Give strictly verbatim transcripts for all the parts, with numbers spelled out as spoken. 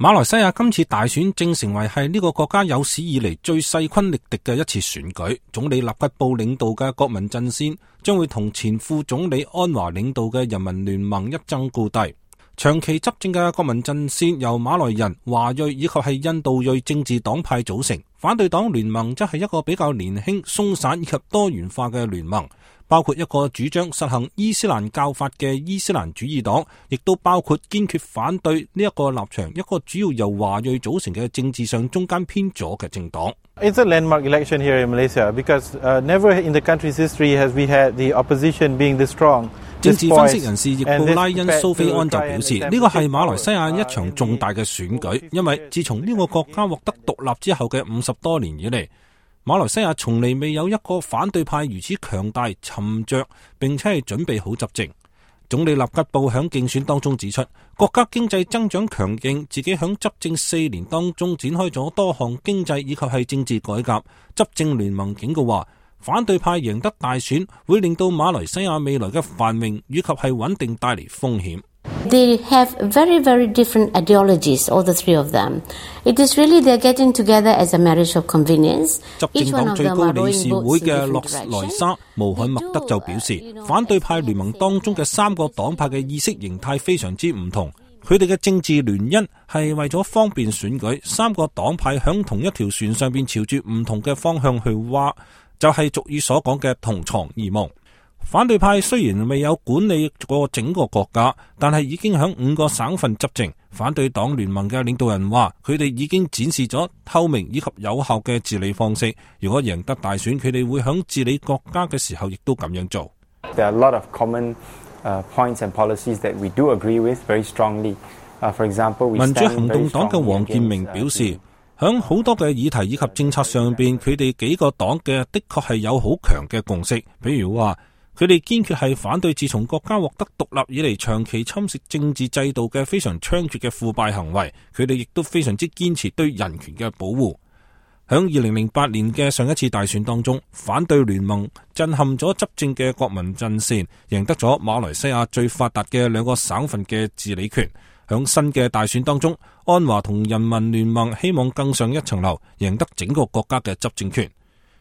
馬來西亞今次大選正成為係呢個國家有史以嚟最勢均力敵嘅一次選舉。總理納吉布領導嘅國民陣線將會同前副總理安華領導嘅人民聯盟一爭高低。長期執政嘅國民陣線由馬來人、華裔以及係印度裔政治黨派組成，反對黨聯盟則係一個比較年輕、鬆散以及多元化嘅聯盟，包括一個主張實行伊斯蘭教法嘅伊斯蘭主義黨，亦都包括堅決反對呢一個立場一個主要由華裔組成嘅政治上中間偏左嘅政黨。It's a landmark election here in Malaysia because uh, never in the country's history has we had the opposition being this strong. 政治分析人士易布拉恩蘇菲安就表示，呢個係馬來西亞一場重大嘅選舉，因為自從呢個國家獲得獨立之後嘅五十多年以嚟，馬來西亞從嚟未有一個反對派如此強大、沉着，並且係準備好執政。總理納吉布響競選當中指出，國家經濟增長強勁，自己響執政四年當中展開咗多項經濟以及係政治改革。執政聯盟警告話，反對派贏得大選會令到馬來西亞未來嘅繁榮以及係穩定帶嚟風險。They have very, very different ideologies, all the three of them. It is really they're getting together as a marriage of convenience. 執政黨最高理事會嘅洛萊沙穆罕默德就表示，反對派聯盟當中嘅三個黨派嘅意識形態非常之唔同，佢哋嘅政治聯姻係為咗方便選舉，三個黨派響同一條船上邊朝住唔同嘅方向去划，就係俗語所講嘅同床異夢。反對派雖然未有管理過整個國家，但係已經響五個省份執政。反對黨聯盟嘅領導人話，佢哋已經展示咗透明以及有效嘅治理方式。如果贏得大選，佢哋會響治理國家嘅時候亦都咁樣做。There are a lot of common uh, points and policies that we do agree with very strongly. Uh, for example, we 民主行動黨嘅黃建明表示，響好多嘅議題以及政策上邊，佢哋幾個黨嘅的確係有好強嘅共識。比如話，佢哋堅決係反對自從國家獲得獨立以嚟長期侵蝕政治制度嘅非常猖獗嘅腐敗行為。佢哋亦都非常之堅持對人權嘅保護。響二零零八年嘅上一次大選當中，反對聯盟震撼咗執政嘅國民陣線，贏得咗馬來西亞最發達嘅兩個省份嘅治理權。響新嘅大選當中，安華同人民聯盟希望更上一層樓，贏得整個國家嘅執政權。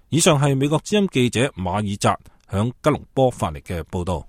以上係美國之音記者馬爾扎響吉隆坡發嚟嘅報道。